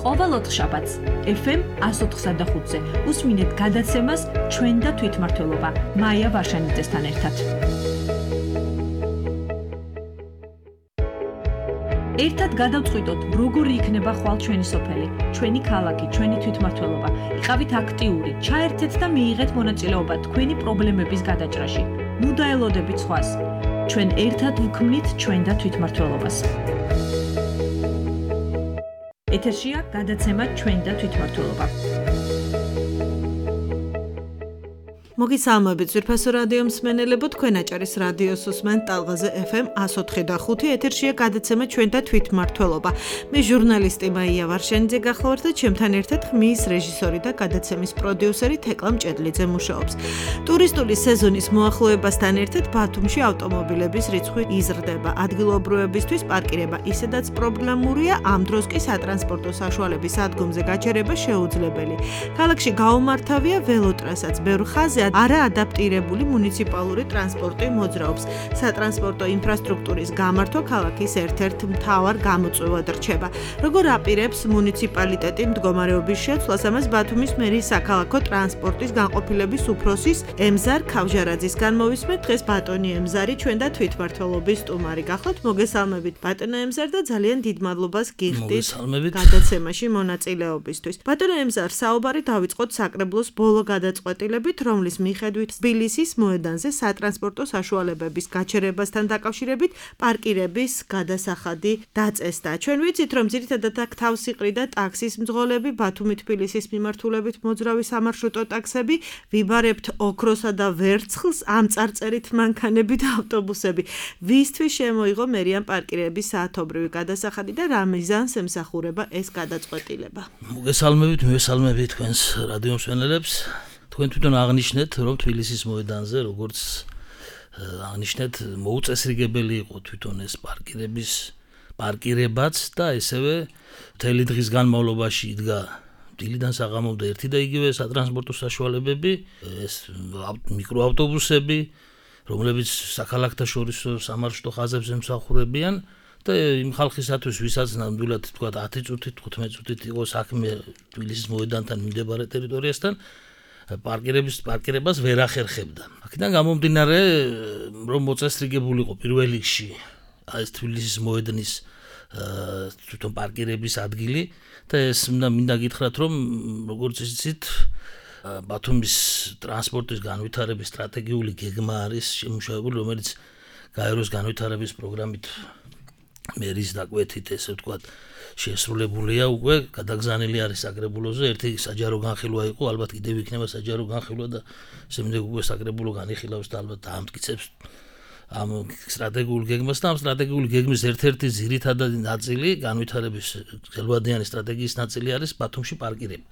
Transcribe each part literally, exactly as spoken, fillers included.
ყოველ ოთხშაბათს ეფ ემ one oh four point five-ზე უსმინეთ გადაცემას ჩვენ და თვითმმართველობა მაია ვარშანიძესთან ერთად. ერთად გადავწყვიტოთ, როგორი იქნება ხვალ ჩვენი სოფელი, ჩვენი ქალაქი, ჩვენი თვითმმართველობა. იყავით აქტიური, ჩაერთეთ და მიიღეთ მონაწილეობა თქვენი პრობლემების გადაჭრაში. ნუ დაელოდებით სხვას. ჩვენ ერთად ვქმნით ჩვენ და თვითმმართველობას. ეთერშია გადაცემა ჩვენ და თვითმმართველობა. მოგესალმებით ძვირფასო რადიო მსმენელებო, თქვენ აჭარის რადიოს უსმენთ ტალღაზე ეფ ემ one oh four point five. ეთერშია გადაცემა ჩვენ და თვითმმართველობა. მე ჟურნალისტი მაია ვარშანიძე გახლავართ და ჩემთან ერთად ხმის რეჟისორი და გადაცემის პროდიუსერი თეკლა მჭედლიძე მუშაობს. ტურისტული სეზონის მოახლოებასთან ერთად ბათუმში ავტომობილების რიცხვი იზრდება. ადგილობრივებისთვის პარკირება ისედაც პრობლემურია, ამ დროს კი სატრანსპორტო საშუალების ადგომზე გაჩერება შეუძლებელი. ქალაქში გაუმართავია ველოტრასაც, ბევრ ხაზზე არა ადაპტირებული მუნიციპალური ტრანსპორტი მოძრაობს. სატრანსპორტო ინფრასტრუქტურის გამართვა ქალაქის ერთ-ერთ მთავარ გამოწვევად რჩება. როგორ აპირებს მუნიციპალიტეტი მდგომარეობის შეცვლას, ამას ბათუმის მერის საქალაქო ტრანსპორტის განყოფილების უფროსის ემზარ ქავჟარაძისგან მოვისმენთ. დღეს ბატონი ემზარი ჩვენ და თვითმმართველობის სტუმარი გახლავთ. მოგესალმებით ბატონო ემზარ და ძალიან დიდ მადლობას გიხდით გადაცემაში მონაწილეობისთვის. ბატონო ემზარ, საუბარი დავიწყოთ საკრებულოს ბოლო გადაწყვეტილებით, რომლის მიხედვით თბილისის მოედანზე სატრანსპორტო საშუალებების გაჩერებასთან დაკავშირებით პარკირების გადასახადი დაწესდა. ჩვენ ვიცით, რომ ძირითადად აქ თავს იყრიდა ტაქსის მძღოლები, ბათუმი-თბილისის მიმართულებით მოძრავი სამარშრუტო ტაქსები, ვიბარებთ ოქროსა და ვერცხლს, ამ წარწერით მანქანები და ავტობუსები. ვისთვის შემოიღო მერიან პარკირების საათობრივი გადასახადი და რა მიზანს ემსახურება ეს გადაწყვეტილება? მოგესალმებით, მივესალმებით თქვენს რადიო მსმენელებს. თქვენ თვითონ აღნიშნეთ, რომ თბილისის მოედანზე, როგორც აღნიშნეთ, მოუწესრიგებელი იყო თვითონ ეს პარკირების პარკირებაც და ესევე მთელი დღის განმავლობაში იდგა დილიდან საღამომდე ერთი და იგივე სატრანსპორტო საშუალებები, ეს მიკროავტობუსები, რომლებიც საქალაქთაშორისო სამარშრუტო ხაზებს ემსახურებიან და იმ ხალხისათვის, ვისაც ნამდვილად თქვა ათი წუთით, თხუთმეტი წუთით იყო საქმე თბილისის მოედანთან მიმდებარე ტერიტორიასთან, პარკირების პარკირებას ვერ ახერხებდა. აქედან გამომდინარე, რომ მოწესრიგებული იყო პირველ რიგში ეს თბილისის მოედნის თვითონ პარკირების ადგილი და ეს მინდა გითხრათ, რომ როგორც იცით, ბათუმის ტრანსპორტის განვითარების სტრატეგიული გეგმა არის შემუშავებული, რომელიც გაეროს განვითარების პროგრამით მერის დაკვეთით, ესე ვთქვათ, შესრულებულია უკვე, გადაგზავნილი არის საკრებულოზე. ერთი საჯარო განხილვა იყო, ალბათ კიდევ იქნება საჯარო განხილვა და შემდეგ უკვე საკრებულო განიხილავს და ალბათ დაამტკიცებს ამ სტრატეგიულ გეგმას და ამ სტრატეგიული გეგმის ერთ-ერთი ძირითადი ნაწილი, განვითარების გელვადიანი სტრატეგიის ნაწილი არის ბათუმში პარკირება.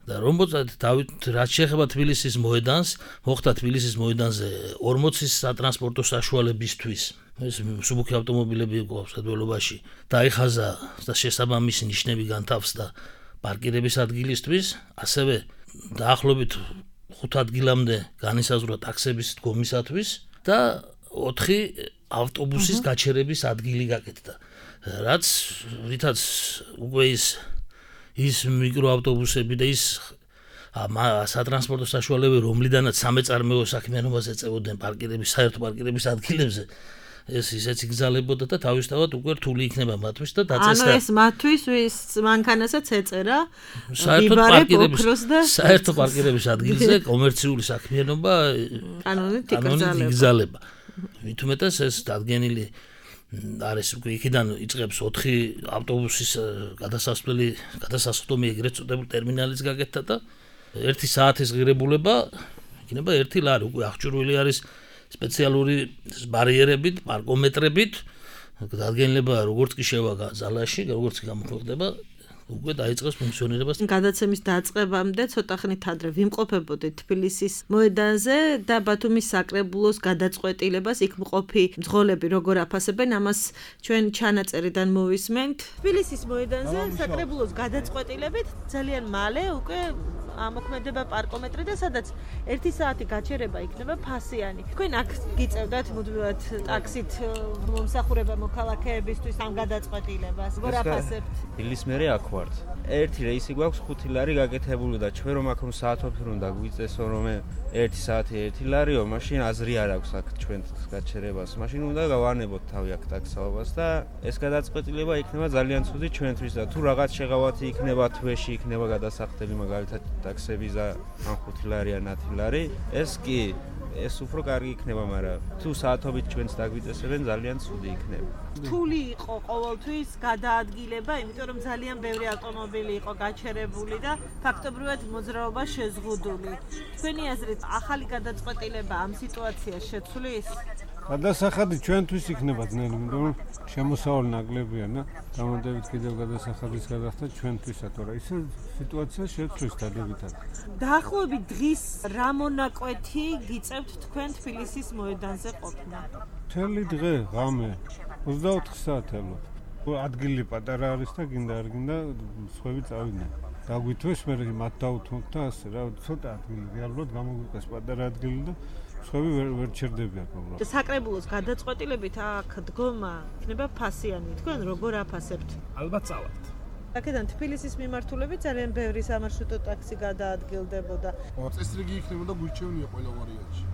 და რომ დავით რაც შეეხება თბილისის მოედანს, მოხდა თბილისის მოედანზე ორმოცის სატრანსპორტო საშუალებისთვის ეს მსუბუქი ავტომობილები იყო სადგურობაში დაიხაზა და შესაბამისი ნიშნები განთავსდა პარკირების ადგილისთვის, ასევე დაახლოებით ხუთ ადგილამდე განისაზღვრა ტაქსების დგომისათვის და ოთხი ავტობუსის გაჩერების ადგილი გაკეთდა. რაც რითაც უკვე ის ის მიკროავტობუსები და ის სატრანსპორტო საშუალებები, რომლიდანაც სამეწარმეო საქმიანობას ეწევოდნენ პარკირების საერთო პარკირების ადგილებზე, ეს ისეც იგზალებოდა და თავისთავად უკვე რთული იქნება მათთვის და დაწესდა. ანუ ეს მათთვის ვის მანქანასაც ეწერა საერთო პარკირების საერთო პარკირების ადგილზე კომერციული საქმიანობა კანონით იგზალება. მით უმეტეს ეს დადგენილი არის უკვე იქიდან იწყებს ოთხი ავტობუსის გადასასვლელი, გადასასხდომი ეგრეთ წოდებული ტერმინალის გაკეთდა და ერთი საათის ღირებულება იქნება ერთი ლარი, უკვე აღჭურვილი არის სპეციალური ბარიერებით, პარკომეტრებით, დადგენილება როგორც კი შევა ზალაში, როგორც კი გამოხდება, უკვე დაიწყეს ფუნქციონირებას. გადაცემის დაწყებამდე ცოტა ხნით ადრე ვიმყოფებოდით თბილისის მოედანზე და ბათუმის საკრებულოს გადაწყვეტილებას, იქ მყოფი მძღოლები როგორ აფასებენ, ამას ჩვენ ჩანაწერიდან მოვისმენთ. თბილისის მოედანზე საკრებულოს გადაწყვეტილებით ძალიან მალე უკვე ამოქმედება პარკომეტრი და სადაც ერთი საათი გაჩერება იქნება ფასიანი. თქვენ აქ გიწევდათ მუდმივად ტაქსით მომსახურება მოქალაქეებისთვის ამ გადაწყვეტილებას. როგორ აფასებთ? დილის მერე აქ ვართ. ერთი რეისი გვაქვს ხუთი ლარი გაკეთებული და ჩვენ რომ აქ რომ საათობით უნდა გვიწესო რომ ერთი საათი ერთი ლარიო, მაშინ აზრი არ აქვს აქ ჩვენ გაჩერებას. მაშინ უნდა გავანებოთ თავი აქ ტაქსაობას და ეს გადაწყვეტილება იქნება ძალიან ცუდი ჩვენთვის და თუ რაღაც შეღავათი იქნება თვეში იქნება გადასახდელი მაგალითად ტაქსების და ამ ხუთი ლარი ან ათი ლარი, ეს კი ეს უფრო კარგი იქნება, მაგრამ თუ საათობით ჩვენს დაგვიწესებენ ძალიან ცუდი იქნება. რთული იყო ყოველთვის გადაადგილება, იმიტომ რომ ძალიან ბევრი ავტომობილი იყო გაჩერებული და ფაქტობრივად მოძრაობა შეზღუდული. თქვენი აზრით, ახალი გადაწყვეტილება ამ სიტუაციას შეცვლის? გადასახადი ჩვენთვის იქნება ძნელი, იმიტომ რომ შემოსავალი ნაკლებია და გამოდებით კიდევ გადასახადის გადახდა ჩვენთვისაც, თორე ისე სიტუაცია შეცვლის დადებითად. დაახლოებით დღის რა მონაკვეთი გიწევთ თქვენ თბილისის მოედანზე ყოფნა? მთელი დღე, ღამე, ოცდაოთხი საათი ალბათ. ადგილი პატარა არის და გინდა არ გინდა სხვები წავიდნენ. დაგვითვეს, მე მათ დავუთმოთ და ასე რა, ცოტა ადგილი რეალურად გამოგვიყეს პატარა ადგილი და სხვები ვერ ვერ ჩერდებიან უბრალოდ. საკრებულოს გადაწყვეტილებით აქ დგომა იქნება ფასიანი. თქვენ როგორ აფასებთ? ალბათ წავართ. აქედან თბილისის მიმართულებით ძალიან ბევრი სამარშრუტო ტაქსი გადაადგილდებოდა. წესრიგი იქნებოდა გვირჩევნია ყველა ვარიანტში.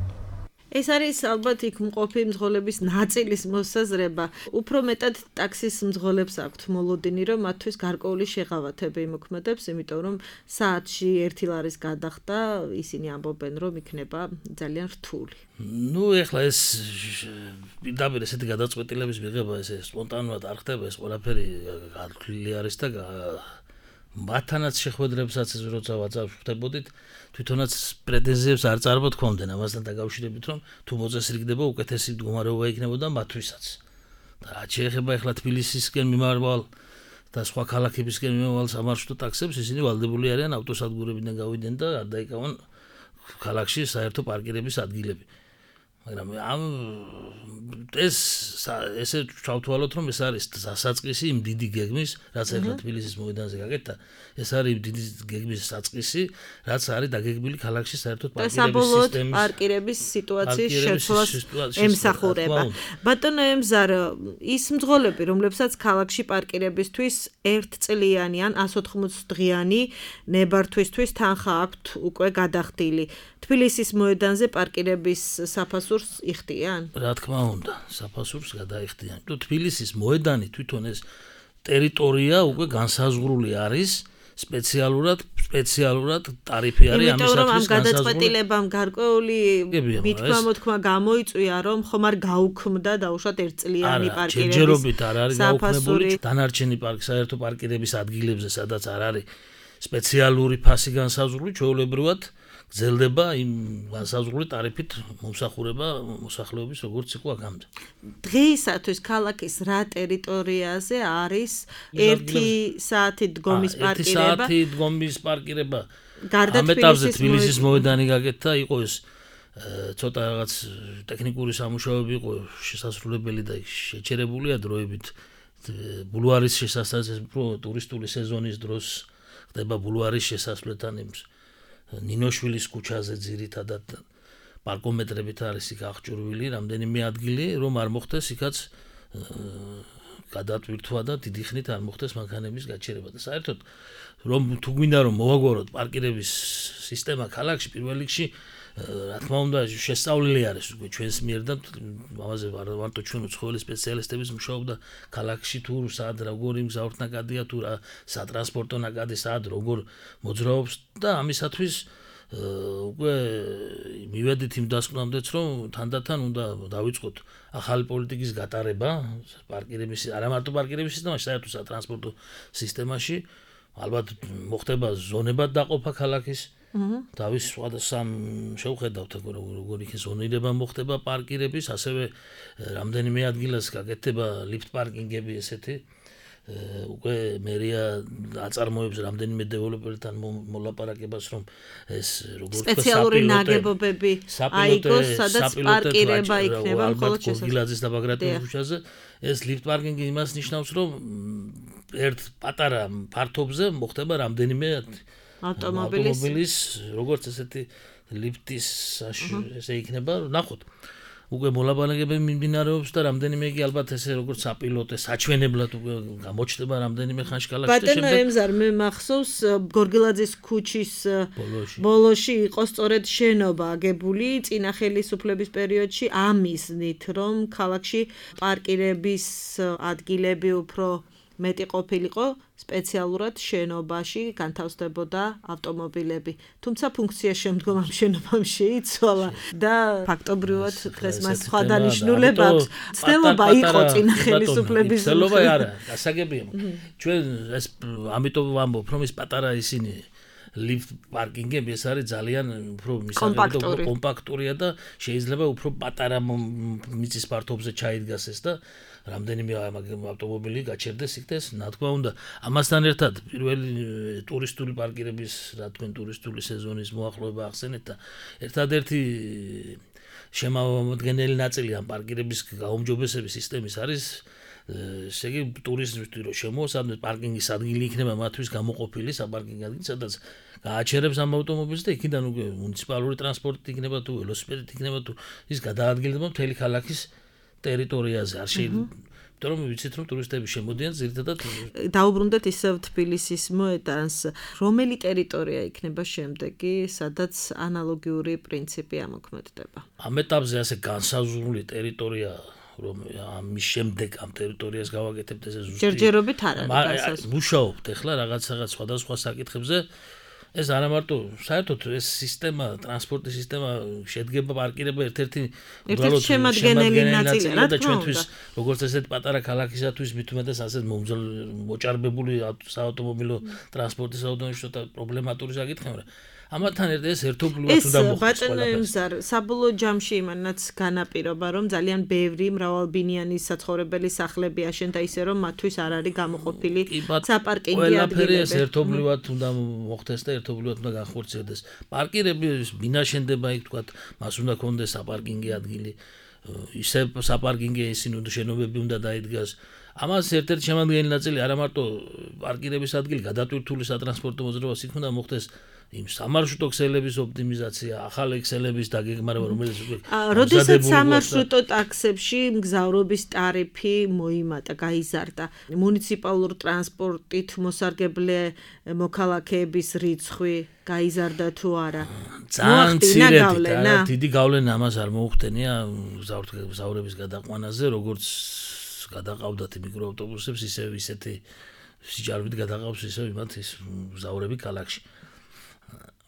ეს არის ალბათ იქ მყოფი მძღოლების ნაწილის მოსაზრება. უფრო მეტად ტაქსის მძღოლებს აქვთ მოლოდინი, რომ მათთვის გარკვეული შეღავათები იმოქმედებს, იმიტომ რომ საათში ერთი ლარის გადახდა ისინი ამბობენ, რომ იქნება ძალიან რთული. ნუ ეხლა ეს პირდაპირ ესეთი გადაწყვეტილების მიღება ესე სპონტანურად არ ხდება, ეს ყველაფერი გართვლილი არის და მათთანაც შეხვედრებსაც როცა ვაწავდებოდით, თვითონაც პრეტენზიებს არ წარმოთქვამდნენ ამასთან დაკავშირებით, რომ თუ მოწესრიგდება უკეთესი მდგომარეობა იქნებოდა მათთვისაც. და რაც შეეხება ეხლა თბილისისკენ მიმავალ და სხვა ქალაქებისკენ მიმავალ სამარშრუტო ტაქსებს, ისინი ვალდებული არიან ავტოსადგურებიდან გავიდნენ და არ დაიკავონ ქალაქში საერთო პარკირების ადგილები. მაგრამ ამ ეს ესე ჩავთვალოთ, რომ ეს არის დასაწყისი იმ დიდი გეგმის, რაც ახლა თბილისის მოედანზე გაკეთდა, ეს არის დიდი გეგმის საწყისი, რაც არის დაგეგმილი ქალაქში საერთოდ პარკირების სისტემის პარკირების სიტუაციის შეცვლას ემსახურება. ბატონო ემზარ, ის მძღოლები, რომლებსაც ქალაქში პარკირებისთვის ერთწლიანი ან ასი ოთხმოცი დღიანი ნებართვისთვის თანხა აქვთ უკვე გადახდილი. თბილისის მოედანზე პარკირების საფასურს იხდიან? რა თქმა უნდა, საფასურს გადაიხდიან. თუ თბილისის მოედანი თვითონ ეს ტერიტორია უკვე განსაზღვრული არის სპეციალურად, სპეციალურად ტარიფი არის ამისათვის განსაზღვრული. ამ გადაწყვეტილებამ გარკვეული მითქმა-მოთქმა გამოიწვია, რომ ხომ არ გაუქმდა დაუშვათ ერთწლიანი პარკირების საფასური. ჯერჯერობით არ არის გაუქმებული. დანარჩენი პარკ საერთო პარკირების ადგილებზე, სადაც არ არის სპეციალური ფასი განსაზღვრული, ჩვეულებრივად გრძელდება იმ განსაზღვრული ტარიფით მომსახურება მოსახლეობის როგორც იყო აქამდე. დღეისათვის ქალაქის რა ტერიტორიაზე არის ერთი საათი დგომის პარკირება? ერთი საათი დგომის პარკირება. ამ ეტაპზე თბილისის მოედანი გაკეთდა, იყო ეს ცოტა რაღაც ტექნიკური სამუშაოები იყო შესასრულებელი და შეჩერებულია დროებით. ბულვარის შესასვლელთან, ტურისტული სეზონის დროს ხდება ბულვარის შესასვლელთან იმს ნინოშვილის ქუჩაზე ძირითადად პარკომეტრებით არის იქ აღჭურვილი რამდენიმე ადგილი, რომ არ მოხდეს იქაც გადატვირთვა და დიდი ხნით არ მოხდეს მანქანების გაჩერება და საერთოდ რომ თუ გვინდა რომ მოვაგვაროთ პარკირების სისტემა ქალაქში, პირველ რიგში რა თქმა უნდა შესწავლილი არის უკვე ჩვენს მიერ და ამაზე მარტო ჩვენ უცხოელი სპეციალისტების მუშაობდა ქალაქში თუ სად როგორი მგზავრთ ნაკადია თუ რა სატრანსპორტო ნაკადი სად როგორ მოძრაობს და ამისათვის უკვე მივედით იმ დასკვნამდეც რომ თანდათან უნდა დავიწყოთ ახალი პოლიტიკის გატარება პარკირების არა მარტო პარკირების სისტემაში საერთოდ სატრანსპორტო სისტემაში ალბათ მოხდება ზონებად დაყოფა ქალაქის დავის სხვადასხვა შევხედავთ როგორ იქ ზონირება მოხდება პარკირების ასევე რამდენიმე ადგილას გაკეთდება ლიფტ პარკინგები ესეთი უკვე მერია აწარმოებს რამდენიმე დეველოპერთან მოლაპარაკებას რომ ეს როგორ თქვა სპეციალური ნაგებობები აიგოს სადაც პარკირება იქნება მხოლოდ შესაძლებელი და ბაგრატოვის ქუჩაზე ეს ლიფტ პარკინგი იმას ნიშნავს რომ ერთ პატარა ფართობზე მოხდება რამდენიმე ავტომობილის ავტომობილის როგორც ესეთი ლიფტის ესე იქნება, ნახოთ. უკვე მოლაპარაკებები მიმდინარეობს და რამდენიმე იგი ალბათ ესე როგორც საპილოტე საჩვენებლად უკვე გამოჩნდება რამდენიმე ხანში კალათში და ბატონო ემზარ მე მახსოვს გორგილაძის ქუჩის ბოლოში ბოლოში იყო სწორედ შენობა აგებული წინა ხელისუფლების პერიოდში ამისნით რომ ქალაქში პარკირების ადგილები უფრო მეტი ყოფილიყო სპეციალურად შენობაში განთავსდებოდა ავტომობილები. თუმცა ფუნქცია შემდგომ ამ შენობამ შეიცვალა და ფაქტობრივად დღეს მას სხვა დანიშნულება აქვს. ცდელობა იყო წინა ხელისუფლების ცდელობა არა, გასაგებია. ჩვენ ეს ამიტომ ვამბობ, რომ ეს პატარა ისინი lift parking-ები ეს არის ძალიან უფრო მისაღებად კომპაქტურია და შეიძლება უფრო პატარა მიწის ფართობზე ჩაიდგას ეს და რამდენიმე ავტომობილი გაჩერდეს იქ და რა თქმა უნდა ამასთან ერთად პირველი ტურისტული პარკირების რა თქვენ ტურისტული სეზონის მოახლოება ახსენეთ და ერთადერთი შემოადგენელი ნაწილი ამ პარკირების გაუმჯობესების სისტემის არის ესე იგი ტურისტები რომ შემოასადნოს პარკინგის ადგილი იქნება მათთვის გამოყოფილი საპარკინგო ადგილი სადაც გააჩერებს ამ ავტომობილს და იქიდან უკვე მუნიციპალური ტრანსპორტი იქნება თუ ველოსიპედით იქნება თუ ის გადაადგილდება მთელი ქალაქის ტერიტორიაზე არ შეიძლება იმიტომ რომ ვიცით რომ ტურისტები შემოდიან ზირთადად დაუბრუნდეთ ისევ თბილისის მოედანს რომელი ტერიტორია იქნება შემდეგი სადაც ანალოგიური პრინციპი ამოქმედდება ამ ეტაპზე ასე განსაზღვრული ტერიტორია რომ ამის შემდეგ ამ ტერიტორიას გავაკეთებთ ესე ზუსტი ჯერჯერობით არ არის განსაზღვრული მუშაობთ ახლა რაღაც რაღაც სხვადასხვა საკითხებზე ეს არა მარტო საერთოდ ეს სისტემა ტრანსპორტის სისტემა შედგება პარკირება ერთ-ერთი უბრალოდ შემადგენელი ნაწილია და ჩვენთვის როგორც ესეთ პატარა ქალაქისათვის მით უმეტეს ასეთ მოჭარბებული საავტომობილო ტრანსპორტის საავტომობილო პრობლემატური საკითხია ამათთან ერთად ეს ერთობლივად უნდა მოხდეს ბატონო ემზარ საბოლოო ჯამში იმანაც განაპირობა რომ ძალიან ბევრი მრავალბინიანი საცხოვრებელი სახლები აშენდა ისე რომ მათთვის არ არის გამოყოფილი საპარკინგი ადგილები ყველაფერი ეს ერთობლივად უნდა მოხდეს და ერთობლივად უნდა განხორციელდეს პარკირები მინაშენდება იქ თქვა მას უნდა კონდეს საპარკინგი ადგილი ისე საპარკინგი ისინი უნდა შენობები უნდა დაიდგას ამას ერთ-ერთი შემადგენელი ნაწილი არა მარტო პარკირების ადგილი გადატვირთული სატრანსპორტო მოძრაობას იქ უნდა მოხდეს იმ სამარშრუტო ქსელების ოპტიმიზაცია, ახალი ქსელების დაგეგმარება, რომელიც უკვე როდესაც სამარშრუტო ტაქსებში მგზავრობის ტარიფი მოიმატა, გაიზარდა, მუნიციპალურ ტრანსპორტით მოსარგებლე მოქალაქეების რიცხვი გაიზარდა თუ არა? ძალიან მცირედი, არა დიდი გავლენა ამას არ მოუხდენია მგზავრების გადაყვანაზე, როგორც გადაყავდათ მიკროავტობუსებს, ისევ ისეთი სიჯარებით გადაყავს ისევ იმათ ის მგზავრები ქალაქში.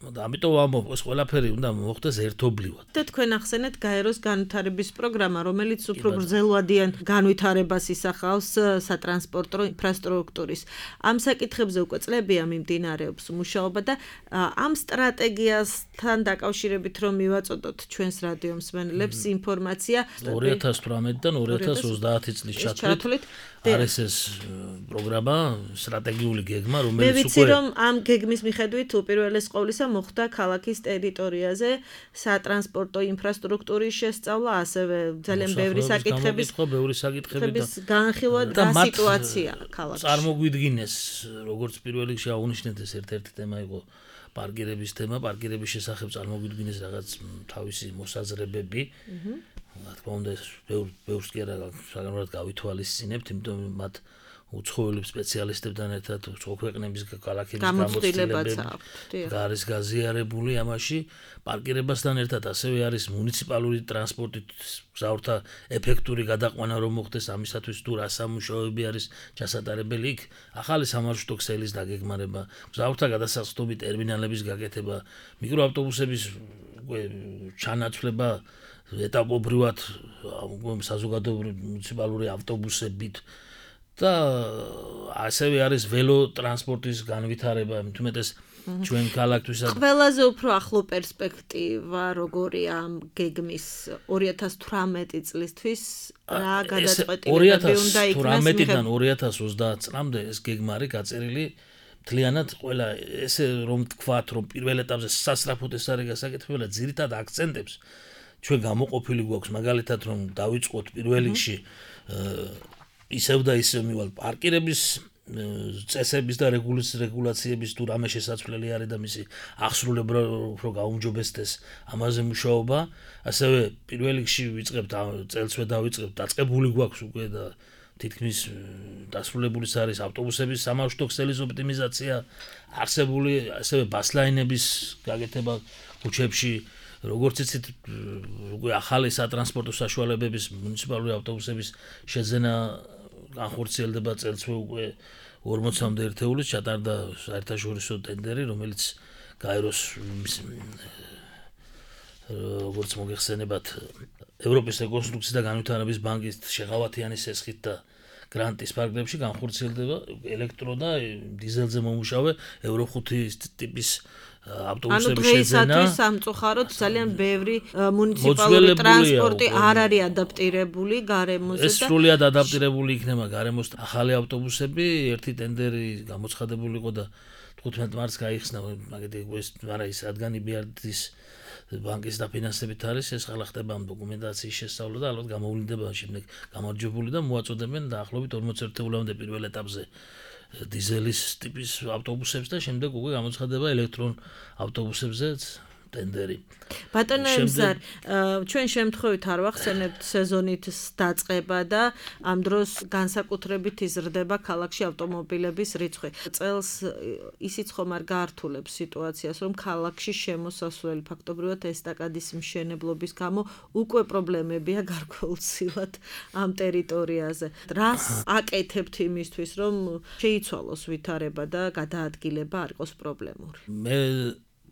და ამიტომ ამბობ ეს ყველაფერი უნდა მოხდეს ერთობლივად. და თქვენ ახსენეთ გაეროს განვითარების პროგრამა, რომელიც უფრო გრძელვადიან განვითარებას ისახავს სატრანსპორტო ინფრასტრუქტურის. ამ საკითხებზე უკვე წლებია მიმდინარეობს მუშაობა და ამ სტრატეგიასთან დაკავშირებით რომ მივაწოდოთ ჩვენს რადიო მსმენელებს ინფორმაცია ორი ათას თვრამეტიდან ორი ათას ოცდაათი წლის ჩათვლით არის ეს პროგრამა სტრატეგიული გეგმა რომელიც უკვე მე ვიცი რომ ამ გეგმის მიხედვით უპირველეს ყოვლისა მოხდა ქალაქის ტერიტორიაზე სატრანსპორტო ინფრასტრუქტურის შესწავლა, ასევე ძალიან ბევრი საკითხების ბევრი საკითხები და განხილვა და სიტუაცია ქალაქში. წარმოგვიდგინეს, როგორც პირველ რიგში აღნიშნეთ ეს ერთ-ერთი თემა იყო პარკირების თემა, პარკირების შესახებ წარმოგვიდგინეს რაღაც თავისი მოსაზრებები. რა თქმა უნდა, ბევრს კი არა საგანმანათლებლად გავითვალისწინებთ, იმიტომ მათ უცხოელი სპეციალისტებთან ერთად უცხო ქვეყნების ქალაქების გამოცდილებაც არის გაზიარებული ამაში პარკირებასთან ერთად ასევე არის მუნიციპალური ტრანსპორტით მგზავრთა ეფექტური გადაყვანა რომ მოხდეს ამისათვის თუ რა სამუშაოები არის ჩასატარებელი იქ ახალი სამარშრუტო ქსელის დაგეგმარება მგზავრთა გადასახსნელი ტერმინალების გაკეთება მიკროავტობუსების ჩანაცვლება ეტაპობრივად საზოგადოებრივი მუნიციპალური ავტობუსებით და ასევე არის ველო ტრანსპორტის განვითარება, თუმეტეს ჩვენ ქალაქთვისაც ყველაზე უფრო ახლო პერსპექტივა როგორია ამ გეგმის ორი ათას თვრამეტი წლისთვის რა გადაწყვეტილებები უნდა იქნას ორი ათას თვრამეტიდან ორი ათას ოცდაათ წლამდე ეს გეგმა არის გაწერილი მთლიანად ყველა ესე რომ თქვათ რომ პირველ ეტაპზე სასწრაფოდ ეს არის გასაკეთებელი ძირითად აქცენტებს ჩვენ გამოყოფილი გვაქვს მაგალითად რომ დავიწყოთ პირველ რიგში ისევ და ისევ მივალ პარკირების წესების და რეგულაციების თუ რამე შესაძლებელი არის და მისი აღსრულება უფრო გაუმჯობესდეს ამაზე მუშაობა, ასევე პირველ რიგში ვიწყებთ წელსვე დავიწყებთ, დაწყებული გვაქვს უკვე და თითქმის დასრულებული არის ავტობუსების სამარშრუტო ქსელის ოპტიმიზაცია, არსებული ასევე ბასლაინების გაკეთება ქუჩებში, როგორც იცით, უკვე ახალი სატრანსპორტო საშუალებების მუნიციპალური ავტობუსების შეძენა განხორციელდება წელსვე უკვე ორმოცამდე ერთეულის ჩატარდა საერთაშორისო ტენდერი, რომელიც გაეროს როგორც მოგეხსენებათ ევროპის რეკონსტრუქციის და განვითარების ბანკის შეღავათიანის ესხით და გრანტის ფარგლებში განხორციელდება ელექტრო და დიზელზე მომუშავე ევრო ხუთი ტიპის ავტობუსების შეძენა. ანუ დღეისათვის სამწუხაროდ ძალიან ბევრი მუნიციპალური ტრანსპორტი არ არის ადაპტირებული გარემოზე და ეს სრულიად ადაპტირებული იქნება გარემოს ახალი ავტობუსები, ერთი ტენდერი გამოცხადებული იყო და თხუთმეტ მარტს გაიხსნა, მაგეთი ეს არა ის რადგან იბიარდის ბანკის დაფინანსებით არის, ეს ხალხ ხდება ამ დოკუმენტაციის შესწავლა და ალბათ გამოვლინდება შემდეგ გამარჯვებული და მოაწოდებენ დაახლოებით ორმოც ერთეულამდე პირველ ეტაპზე დიზელის ტიპის ავტობუსებს და შემდეგ უკვე გამოცხადება ელექტრონ ავტობუსებზეც ტენდერი. ბატონო ემზარ, ჩვენ შემთხვევით არ ვახსენებთ სეზონით დაწყება და ამ დროს განსაკუთრებით იზრდება ქალაქში ავტომობილების რიცხვი. წელს ისიც ხომ არ გაართულებს სიტუაციას, რომ ქალაქში შემოსასვლელი ფაქტობრივად ესტაკადის მშენებლობის გამო უკვე პრობლემებია გარკვეულწილად ამ ტერიტორიაზე. რას აკეთებთ იმისთვის, რომ შეიცვალოს ვითარება და გადაადგილება არ იყოს პრობლემური? მე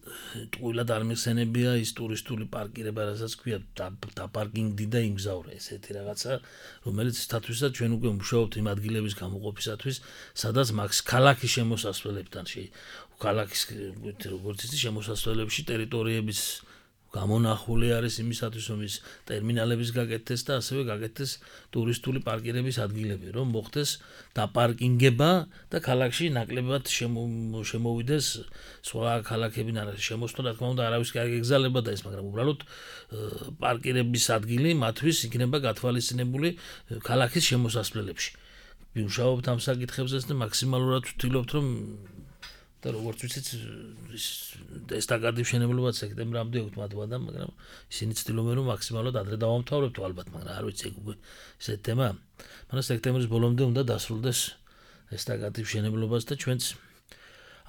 ტყუილად არ მიხსენებია ის ტურისტული პარკირება, რასაც ქვია დაპარკინგდი და იმგზავრე, ესეთი რაღაცა, რომელიც სტატუსად ჩვენ უკვე მუშაობთ იმ ადგილების გამოყოფისათვის, სადაც მაქს ქალაქის შემოსასვლელებთან შე ქალაქის როგორც იცი შემოსასვლელებში ტერიტორიების გამონახული არის იმისათვის, რომ ის ტერმინალების გაკეთდეს და ასევე გაკეთდეს ტურისტული პარკირების ადგილები, რომ მოხდეს დაპარკინგება და ქალაქში ნაკლებად შემოვიდეს სხვა ქალაქები შემოსვლა, რა თქმა უნდა, არავის კი არ ეგზალება და ეს, მაგრამ უბრალოდ პარკირების ადგილი მათთვის იქნება გათვალისწინებული ქალაქის შემოსასვლელებში. ვიმუშაობთ ამ საკითხებზეც და მაქსიმალურად ვთვლობთ, რომ და როგორც ვიცით, ესტაკადის მშენებლობა სექტემბრამდე უთმატვა და მაგრამ ისინი ცდილობენ რომ მაქსიმალურად ადრე დავამთავრებთ ალბათ, მაგრამ არ ვიცი უკვე ესეთი თემა. მაგრამ სექტემბრის ბოლომდე უნდა დასრულდეს ესტაკადის მშენებლობაც და ჩვენც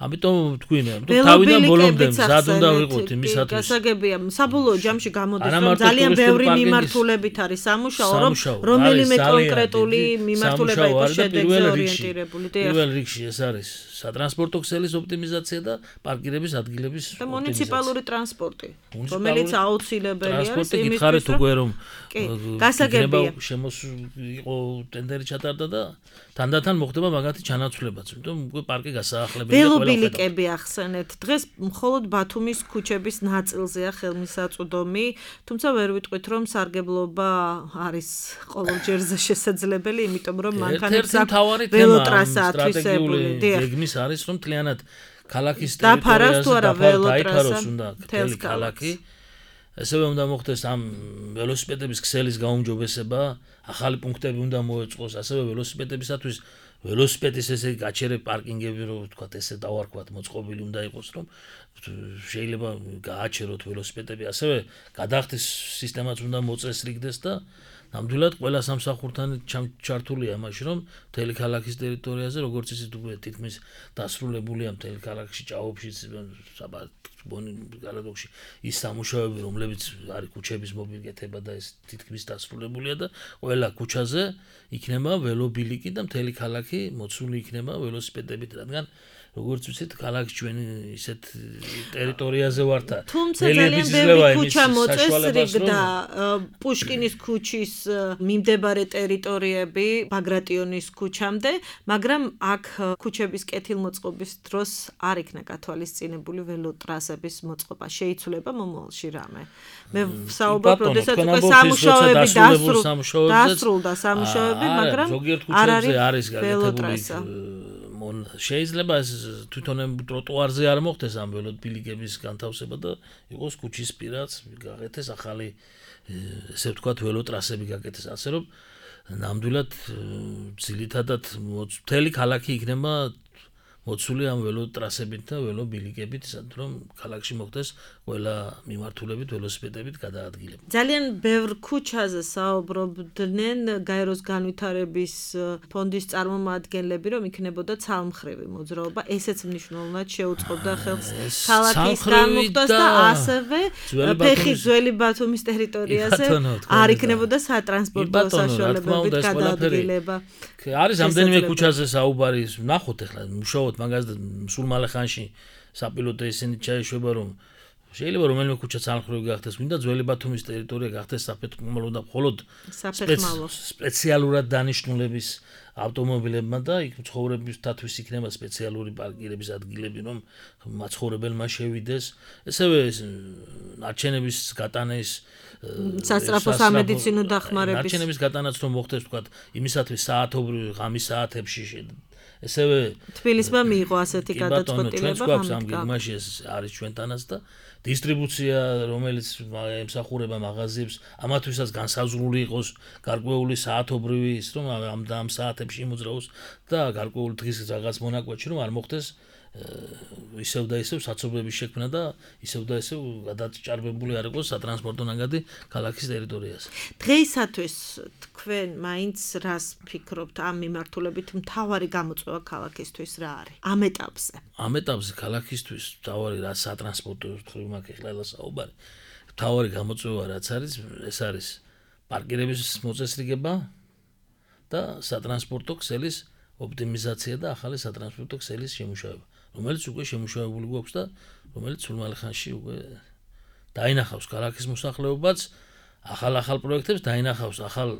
ამიტომ თქვინე, რომ თავიდან ბოლომდე მზად უნდა ვიყოთ იმისათვის. გასაგებია, საბოლოო ჯამში გამოდის, რომ ძალიან ბევრი მიმართულებით არის სამუშაო, რომ რომელიმე კონკრეტული მიმართულება იყოს შედეგზე ორიენტირებული. პირველ რიგში ეს არის სატრანსპორტო ქსელის ოპტიმიზაცია და პარკირების ადგილების ოპტიმიზაცია. და მუნიციპალური ტრანსპორტი, რომელიც აუცილებელი არის იმისთვის, რომ გითხარით უკვე რომ გასაგებია იყო ტენდერი ჩატარდა და თანდათან მოხდება მაგათი ჩანაცვლებაც, იმიტომ უკვე პარკი გასაახლებელი და ყველა ბილიკები ახსენეთ. დღეს მხოლოდ ბათუმის ქუჩების ნაწილზეა ხელმისაწვდომი, თუმცა ვერ ვიტყვით, რომ სარგებლობა არის ყოველჯერზე შესაძლებელი, იმიტომ რომ მანქანებს აქვს ველოტრასა ათვისებული. გეგმის არის, რომ მთლიანად ქალაქის ტერიტორიაზე დაიფაროს უნდა მთელი ქალაქი. ასევე უნდა მოხდეს ამ ველოსიპედების ქსელის გაუმჯობესება, ახალი პუნქტები უნდა მოეწყოს, ასევე ველოსიპედებისათვის ველოსიპედის ესე გაჩერე პარკინგები, რომ თქვა ესე დავარქვათ, მოწყობილი უნდა იყოს, რომ შეიძლება გააჩეროთ ველოსიპედები, ასევე გადახდის სისტემაც უნდა მოწესრიგდეს და ნამდვილად ყველა სამსახურთან ჩართულია იმაში, რომ მთელი ქალაქის ტერიტორიაზე, როგორც იცით, უკვე თითქმის დასრულებულია მთელი ქალაქში, ჭაობშიც, გალადოქში ის სამუშაოები, რომლებიც არის ქუჩების მოპირკეთება და ეს თითქმის დასრულებულია და ყველა ქუჩაზე იქნება ველობილიკი და მთელი ქალაქი მოცული იქნება ველოსიპედებით, რადგან როგორც ვიცით, ქალაქი ჩვენი ისეთ ტერიტორიაზე ვართ და თუმცა ძალიან ბევრი ქუჩა მოწესრიგდა პუშკინის ქუჩის მიმდებარე ტერიტორიები ბაგრატიონის ქუჩამდე, მაგრამ აქ ქუჩების კეთილმოწყობის დროს არ იქნა გათვალისწინებული ველოტრასების მოწყობა. შეიცვლება მომავალში რამე. მე ვსაუბრობ, როდესაც უკვე სამუშაოები დასრულდა სამუშაოები, მაგრამ არ არის ველოტრასა. შეიძლება თვითონ ტროტუარზე არ მოხდეს ამ ველობილიკების განთავსება და იყოს ქუჩის პირაც გაკეთდეს ახალი ესე ვთქვათ ველოტრასები გაკეთდეს, ასე რომ ნამდვილად ძილითადად მთელი ქალაქი იქნება მოცული ამ ველო ტრასებით და ველო ბილიკებით, სადაც რომ ქალაქში მოხდეს ყველა მიმართულებით ველოსიპედებით გადაადგილება. ძალიან ბევრ ქუჩაზე საუბრობდნენ გაეროს განვითარების ფონდის წარმომადგენლები, რომ იქნებოდა ცალმხრივი მოძრაობა, ესეც მნიშვნელოვნად შეუწყობდა ხელს ქალაქის განმუხტვას და ასევე ფეხი ძველი ბათუმის ტერიტორიაზე არ იქნებოდა სატრანსპორტო საშუალებებით გადაადგილება. არის ამდენიმე ქუჩაზე საუბარი, ნახოთ ახლა მუშაობთ მაგას და სულ მალე ხანში საპილოტო ისინი ჩაეშვება რომ შეიძლება რომელიმე ქუჩა ცალმხრივი გახდეს, ვინდა ძველი ბათუმის ტერიტორია გახდეს საფეხმავლო და მხოლოდ სპეციალურად დანიშნულების ავტომობილებმა და იქ მცხოვრებისთათვის იქნება სპეციალური პარკირების ადგილები, რომ მაცხოვრებელმა შევიდეს. ესევე ნარჩენების გატანის სასწრაფო სამედიცინო დახმარების ნარჩენების გატანაც რომ მოხდეს თქვა იმისათვის საათობრივ ღამის საათებში ესევე თბილისმა მიიღო ასეთი გადაწყვეტილება გვაქვს ამ გეგმაში ეს არის ჩვენთანაც და დისტრიბუცია რომელიც ემსახურება მაღაზიებს ამათვისაც განსაზღვრული იყოს გარკვეული საათობრივი ის რომ ამ და ამ საათებში მოძრაოს და გარკვეული დღის რაღაც მონაკვეთში რომ არ მოხდეს ისევ და ისევ საცობების შექმნა და ისევ და ისევ გადაჭარბებული არ იყოს სატრანსპორტო ნაგადი ქალაქის ტერიტორიაზე. დღეისათვის თქვენ მაინც რას ფიქრობთ ამ მიმართულებით მთავარი გამოწვევა ქალაქისთვის რა არის? ამ ეტაპზე. ამ ეტაპზე ქალაქისთვის მთავარი რა სატრანსპორტო ხრივ მაქვს ახლა საუბარი. მთავარი გამოწვევა რაც არის, ეს არის პარკირების მოწესრიგება და სატრანსპორტო ქსელის ოპტიმიზაცია და ახალი სატრანსპორტო ქსელის შემუშავება. რომელიც უკვე შემუშავებული გვაქვს და რომელიც სულ მალე ხანში უკვე დაინახავს ქალაქის მოსახლეობაც, ახალ-ახალ პროექტებს დაინახავს, ახალ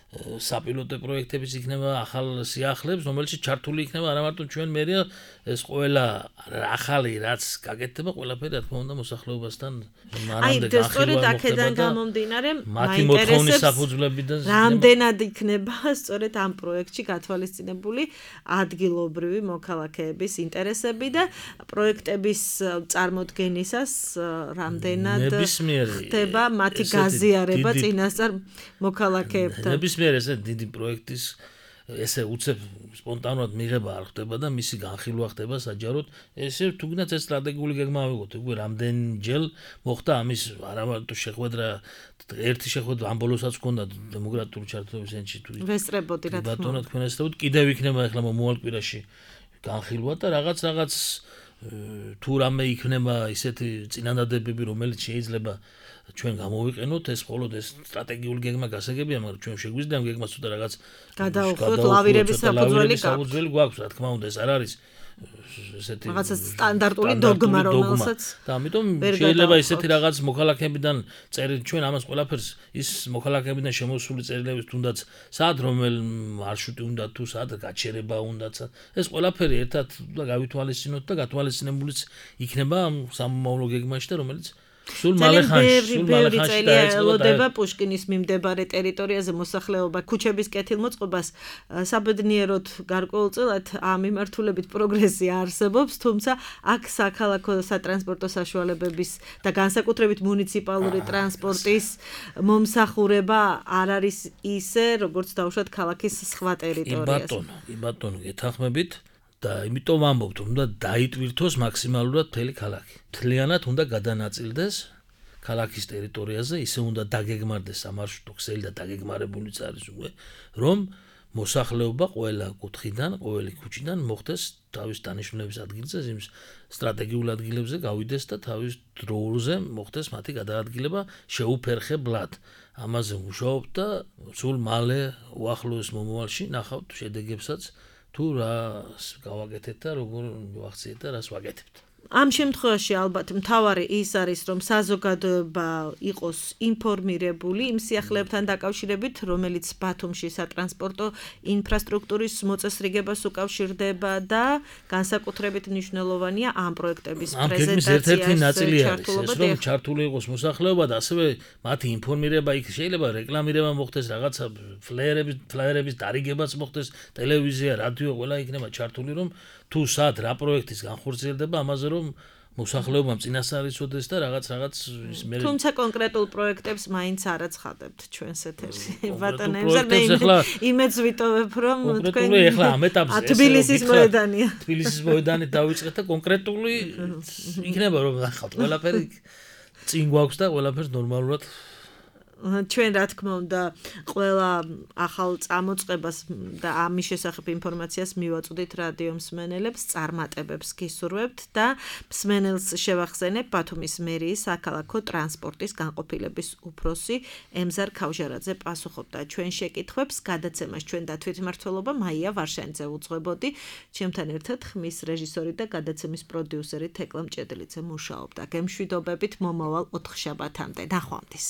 საპილოტო პროექტებიც იქნება, ახალ სიახლეებს, რომელშიც ჩართული იქნება არა მარტო ჩვენ მერია, ეს ყველა ახალი რაც გაკეთდება, ყველაფერი რა თქმა უნდა მოსახლეობასთან მანამდე განხილვა მოხდება და გამომდინარე მათი მოთხოვნის საფუძვლებიდან რამდენად იქნება სწორედ ამ პროექტში გათვალისწინებული ადგილობრივი მოქალაქეების ინტერესები და პროექტების წარმოდგენისას რამდენად ხდება მათი გაზიარება წინასწარ მოქალაქეებთან. ნებისმიერ ესე დიდი პროექტის ესე უცებ სპონტანურად მიღება არ ხდება და მისი განხილვა ხდება საჯაროდ. ესე თუნდაც ეს სტრატეგიული გეგმა ავიღოთ, უკვე რამდენჯერ მოხდა ამის არა მარტო შეხვედრა, ერთი შეხვედრა ამ ბოლოსაც ჰქონდა დემოკრატიული ჩართულობის ენში თუ ვესწრებოდი რა თქმა უნდა. თქვენ ესწრებოდით, კიდევ იქნება ახლა მომავალ კვირაში განხილვა და რაღაც რაღაც თუ რამე იქნება ისეთი წინადადებები, რომელიც შეიძლება ჩვენ გამოვიყენოთ, ეს მხოლოდ ეს სტრატეგიული გეგმა გასაგებია, მაგრამ ჩვენ შეგვიძლია ამ გეგმას ცოტა რაღაც გადაუხოთ ლავირების საფუძველი გვაქვს, რა თქმა უნდა, ეს არ არის ესეთი რაღაცა სტანდარტული დოგმა, რომელსაც და ამიტომ შეიძლება ისეთი რაღაც მოქალაქეებიდან წერილ ჩვენ ამას ყველაფერს ის მოქალაქეებიდან შემოსული წერილების თუნდაც სად რომელ მარშრუტი უნდა თუ სად გაჩერება უნდაც ეს ყველაფერი ერთად გავითვალისწინოთ და გათვალისწინებულიც იქნება ამ სამომავლო გეგმაში და რომელიც სულ მალე ხანში, სულ მალე ხანში დაეწყება პუშკინის მიმდებარე ტერიტორიაზე მოსახლეობა ქუჩების კეთილმოწყობას საბედნიეროდ გარკვეულწილად ამ მიმართულებით პროგრესი არსებობს, თუმცა აქ საქალაქო სატრანსპორტო საშუალებების და განსაკუთრებით მუნიციპალური ტრანსპორტის მომსახურება არ არის ისე, როგორც დაუშვათ ქალაქის სხვა ტერიტორიაზე. იმ ბატონო, იმ ბატონო გეთანხმებით და იმიტომ ვამბობთ, უნდა დაიტვირთოს მაქსიმალურად მთელი ქალაქი. მთლიანად უნდა გადანაწილდეს ქალაქის ტერიტორიაზე, ისე უნდა დაგეგმარდეს სამარშრუტო ქსელი და დაგეგმარებულიც არის უკვე, რომ მოსახლეობა ყველა კუთხიდან, ყოველი ქუჩიდან მოხდეს თავის დანიშნულების ადგილზე, იმ სტრატეგიულ ადგილებზე გავიდეს და თავის დროზე მოხდეს მათი გადაადგილება შეუფერხებლად. ამაზე ვმუშაობთ და სულ მალე უახლოეს მომავალში ნახავთ შედეგებსაც თუ რას გავაკეთეთ და როგორ ვახციეთ და რას ვაკეთებთ. ამ შემთხვევაში ალბათ მთავარი ის არის, რომ საზოგადოება იყოს ინფორმირებული იმ სიახლეებთან დაკავშირებით, რომელიც ბათუმში სატრანსპორტო ინფრასტრუქტურის მოწესრიგებას უკავშირდება და განსაკუთრებით მნიშვნელოვანია ამ პროექტების პრეზენტაციაში რომ ჩართული იყოს მოსახლეობა და ასევე მათი ინფორმირება იქ შეიძლება რეკლამირება მოხდეს, რაღაცა ფლაიერების ფლაიერების დარიგებაც მოხდეს, ტელევიზია, რადიო ყველა იქნება ჩართული, რომ თუ სად რა პროექტის განხორციელდება, ამაზე რომ მოსახლეობამ წინასწარ იცოდეს და რაღაც რაღაც ის მე თუმცა კონკრეტულ პროექტებს მაინც არ აცხადებთ ჩვენს ეთერში. კონკრეტულ ბატონო, მე პროექტებს ახლა- იმედს ვიტოვებ, რომ კონკრეტული ახლა ამ ეტაპზე ა, თბილისის გითხრათ, მოედანია. თბილისის მოედანი დავიწყეთ და კონკრეტული იქნება რომ ნახავთ ყველაფერი წინ გვაქვს და ყველაფერს ნორმალურად ჩვენ რა თქმა უნდა ყველა ახალ წამოწყებას და ამის შესახებ ინფორმაციას მივაწვდით რადიო მსმენელებს, წარმატებებს გისურვებთ და მსმენელს შევახსენებ ბათუმის მერიის საქალაქო ტრანსპორტის განყოფილების უფროსი ემზარ ქავჟარაძე პასუხობდა ჩვენ შეკითხვებს, გადაცემას ჩვენ და თვითმმართველობა მაია ვარშანიძე უძღვებოდი, ჩემთან ერთად ხმის რეჟისორი და გადაცემის პროდიუსერი თეკლა მჭედლიძე მუშაობდა. გემშვიდობებით მომავალ ოთხშაბათამდე. ნახვამდის.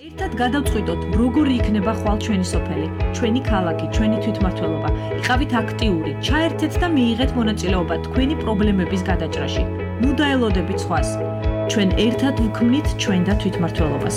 ერთად გადავწყვიტოთ, როგორი იქნება ხვალ ჩვენი სოფელი, ჩვენი ქალაქი, ჩვენი თვითმმართველობა. იყავით აქტიური, ჩაერთეთ და მიიღეთ მონაწილეობა თქვენი პრობლემების გადაჭრაში. ნუ დაელოდებით სხვას. ჩვენ ერთად ვქმნით ჩვენ და თვითმმართველობას.